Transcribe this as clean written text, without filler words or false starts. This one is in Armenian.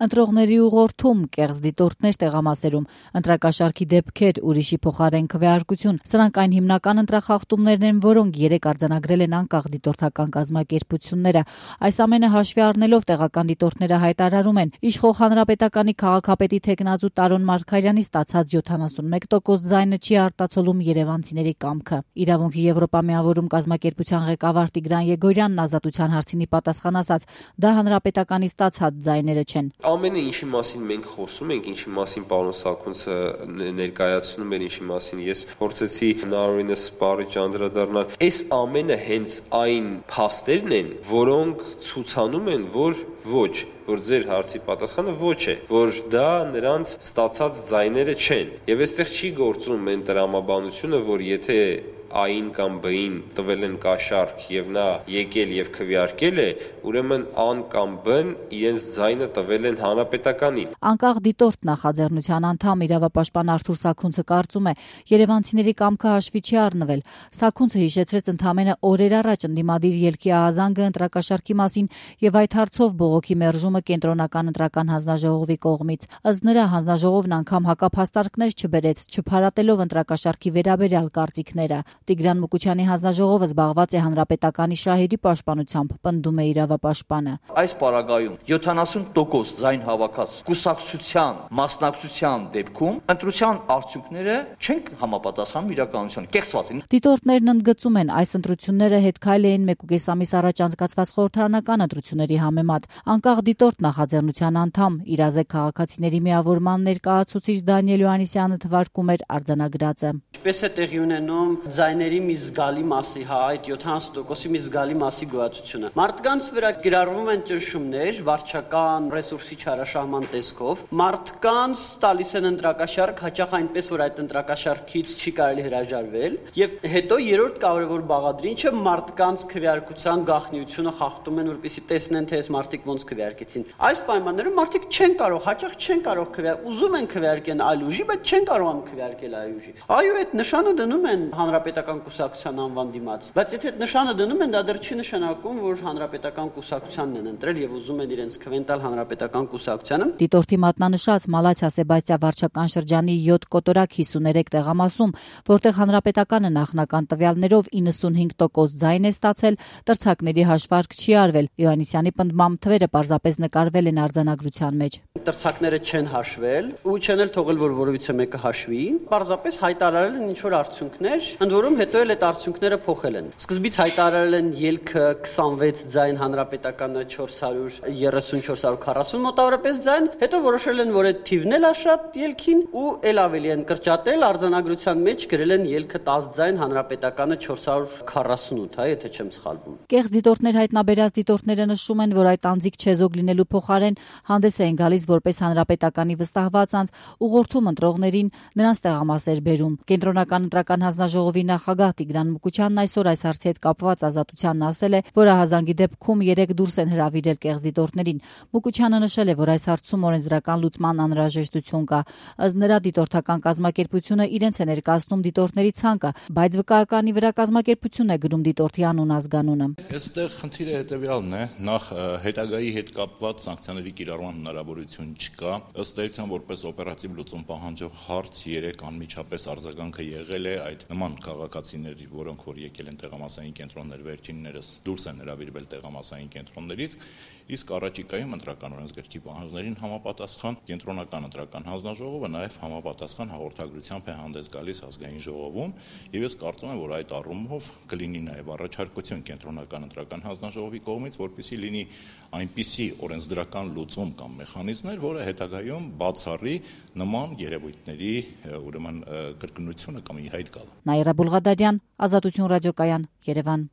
Ընտրողների ուղղորդում, կեղծ դիտորդներ տեղամասերում, ընտրակաշարքի դեպքեր, ուրիշի փոխարեն քվեարկություն, սրանք այն հիմնական ընտրախախտումներն են, որոնք 3 արձանագրել են անկախ դիտորդական կազմակերպությունները։ Այս ամենը հաշվի առնելով տեղական դիտորդները հայտարարում են, իշխող Հանրապետականի քաղաքապետի թեկնածու Տարոն Մարգարյանի ստացած 71% ձայնը չի արտացոլում երևանցիների կամքը։ Իրավունքի Եվրոպա միավորում կազմակերպության ղեկավար Տիգրան Եգորյանն ազատության հարցին պատասխան ասաց, դա Հանրապետականի ստացած ձայները չեն։ Ամենը ինչի մասին մենք խոսում ենք, ինչի մասին պարոն Սաքունցը ներկայացնում էր, ինչի մասին ես փորձեցի հնարավորինս սպառիչ անդրադառնալ, այս ամենը հենց այն փաստերն են, որոնք ցուցանում են, որ ձեր հարցի պատասխանը ոչ է, որ դա նրանց ստացած ձայները չեն։ Եվ այստեղ չի գործում այն տրամաբանությունը, որ եթե A-ին կամ B-ին տվել են կաշառք եւ նա եկել եւ քվեարկել է, ուրեմն A-ն կամ B-ն իրենց ձայնը տվել են Հանրապետականին։ Անկախ դիտորդ նախաձեռնության անդամ իրավապաշտպան Արթուր Սաքունցը կարծում է, երևանցիների կամքը հաշվի չի առնվել։ Սաքունցը հիշեցրեց ընդամենը օրեր առաջ ընդդիմադիր ելքի ահազանգը ընտրակաշառքի մասին եւ այդ հարցով բողոքի մերժումը կենտրոնական ընտրական հանձնաժողովի կողմից։ Ըստ նրա հանձնաժողովն անգամ հակափաստարկներ չբերեց, չփարատելով ընտրակաշառքի վերաբերյալ կարծիքները։ Տիգրան Մուկուչյանի հանձնաժողովը զբաղված է հանրապետականի շահերի պաշտպանությամբ, պնդում է իրավապաշտպանը։ Այս պարագայում 70% ձայն հավաքած կուսակցության մասնակցության դեպքում ընտրության արդյունքները չեն համապատասխանում իրականությանը, կեղծված են։ Դիտորդներն ընդգծում են, այս ընտրությունները հետքայլ էին 1.5 ամիս առաջ անցկացված խորհրդարանական ընտրությունների համեմատ։ Անկախ դիտորդ նախաձեռնության անդամ Իրազեկ քաղաքացիների միավորման ներկայացուցիչ Դանիել Յոհաննիսյանը թվարկում էր արձանագրածը։ Ինչպես է տեղի ունենում ձայների մի զգալի մասի, այդ 70%-ի մի զգալի մասի գոյացությունը։ Մարդկանց վրա կիրառվում են ճնշումներ վարչական ռեսուրսի չարաշահման տեսքով։ Մարդկանց տալիս են ընտրակաշառք, հաճախ այնպես, որ այդ ընտրակաշառքից չի կարելի հրաժարվել։ Եվ հետո երրորդ կարևոր բաղադրիչը ինչը մարդկանց քվեարկության գաղտնիությունը խախտում են, որպեսզի տեսնեն, թե այս մարդիկ ոնց քվեարկեցին։ Այս պայմաններում մարդիկ չեն կարող, հաճախ չեն կարող ուզում են քվեարկեն այլ ուժի, բայց չեն կարողանում քվեարկել այլ ուժի։ Այո, այդ նշանը դնում են հանրապետական կուսակցության անվան դիմաց, բայց եթե այդ նշանը դնում են, դա դեռ չի նշանակում, որ հանրապետական կուսակցությանն են ընտրել եւ ուզում են իրենց քվեն տալ հանրապետական կուսակցությանը։ Դիտորդի մատնանշած Մալաթիա Սեբաստիա վարչական շրջանի 7 կոտորակ 53 տեղամասում, որտեղ հանրապետականը նախնական տվյալներով 95% ձայն է ստացել, տրցակների հաշվարկ չի արվել։ Յոհաննիսյանի պնդմամբ թվերը պարզապես նկարվել են արձանագրության մեջ։ Տրցակները չեն հաշվել ու չեն էլ թողել, որ որևիցե մեկը հաշվի։ Պարզապես հայտարարել են ինչ-որ արդյունքներ, ընդ որում հետո էլ այդ արդյունքները փոխել են։ Սկզբից հայտարարել են ելքը 26 ձայն, հանրապետականը 430-440 մոտավորապես ձայն, հետո որոշել են, որ այդ թիվն էլ է շատ ելքին ու էլ ավելի են կրճատել, արձանագրության մեջ գրել են ելքը 10 ձայն, հանրապետականը 448, եթե չեմ սխալվում։ Կեղծ դիտորդներ հայտնաբերած դիտորդները նշում են, որ այդ անձիկ չեզոք լինելու փոխարեն հանդես են գալիս որպես հանրապետականի վստահված անձ, ուղղորդում ընտրողներին, նրանց տեղամասեր բերում։ Կենտրոնական ընտրական հանձնաժողովի նախագահ Տիգրան Մուկուչյանն այսօր այս հարցի հետ կապված Ազատությանն ասել է, որ ահազանգի դեպքում 3 դուրս են հրավիրել կեղծ դիտորդներին։ Մուկուչյանը նշել է, որ այս հարցում օրենսդրական լուծման անհրաժեշտություն կա։ Ըստ նրա դիտորդական կազմակերպությունը իրենց է ներկայացնում դիտորդների ցանկը, բայց վկայականի վրա կազմակերպությունն է գրում դիտորդի անուն ազգանունը։ Այստեղ խնդիրը հետևյալն է, նախ հետագայի հետ կապված սանկցիաների կիրառման հնարավորություն չկա։ Ըստ էության, որպես օպերատիվ լուծում պահանջող հարց 3 անմիջապես արձագանքը եղել է այդ նման քաղաքացիների, որոնք որ եկել են տեղամասային կենտրոններ, վերջիններս դուրս են հրավիրվել տեղամասային կենտրոններից, իսկ առաջիկայում ընտրական օրենսգրքի պահանջներին համապատասխան կենտրոնական ընտրական հանձնաժողովը նաև համապատասխան հաղորդագրությամբ է հանդես գալիս ազգային ժողովում, եւ ես կարծում եմ, որ այդ առումով կլինի նաև առաջարկություն կենտրոնական ընտրական հանձնաժողովի կողմից, որպեսզի լինի այնպիսի օրենսդրական լուծում կամ մեխանիզմներ, որը հետագայում բացառի նման երևույթների ուրեմն կրկնությունը կամ ի հայտ գալը։ Նաիրա Բուլղադարյան, Ազատություն ռադիոկայան, Երևան։